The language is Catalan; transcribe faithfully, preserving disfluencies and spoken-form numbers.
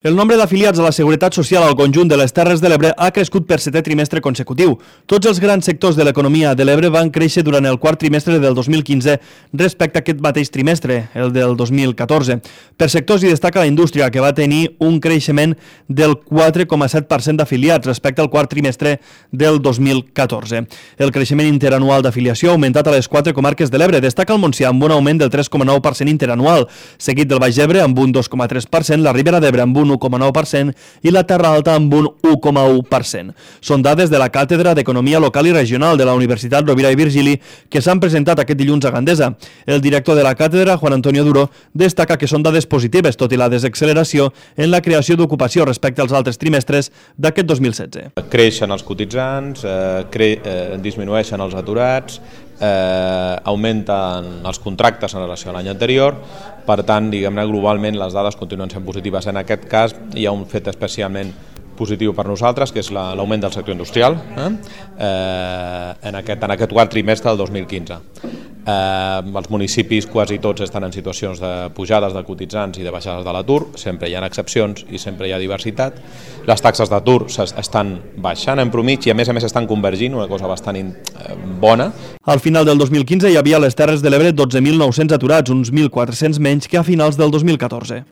El nombre d'afiliats a la Seguretat Social al conjunt de les Terres de l'Ebre ha crescut per setè trimestre consecutiu. Tots els grans sectors de l'economia de l'Ebre van créixer durant el quart trimestre del dos mil quinze respecte a aquest mateix trimestre, el del dos mil catorze. Per sectors hi destaca la indústria, que va tenir un creixement del quatre coma set per cent d'afiliats respecte al quart trimestre del dos mil catorze. El creixement interanual d'afiliació ha augmentat a les quatre comarques de l'Ebre. Destaca el Montsià amb un augment del tres coma nou per cent interanual, seguit del Baix Ebre amb un dos coma tres per cent, la Ribera d'Ebre amb un un coma nou per cent i la Terra Alta amb un u coma u per cent. Són dades de la Càtedra d'Economia Local i Regional de la Universitat Rovira i Virgili que s'han presentat aquest dilluns a Gandesa. El director de la càtedra, Juan Antonio Duro, destaca que són dades positives, tot i la desacceleració en la creació d'ocupació respecte als altres trimestres d'aquest dos mil setze. Creixen els cotitzants, eh, cre eh, disminueixen els aturats, eh, augmenten els contractes en relació a l'any anterior. Per tant, diguem-ne, globalment les dades continuen sent positives. En aquest cas hi ha un fet especialment positiu per nosaltres, que és l'augment del sector industrial eh? Eh, en, aquest, en aquest quart trimestre del dos mil quinze. Eh, els municipis quasi tots estan en situacions de pujades de cotitzants i de baixades de l'atur, sempre hi ha excepcions i sempre hi ha diversitat. Les taxes d'atur estan baixant en promig i a més a més estan convergint, una cosa bastant eh, bona. Al final del dos mil quinze hi havia a les Terres de l'Ebre dotze mil nou-cents aturats, uns mil quatre-cents menys que a finals del dos mil catorze.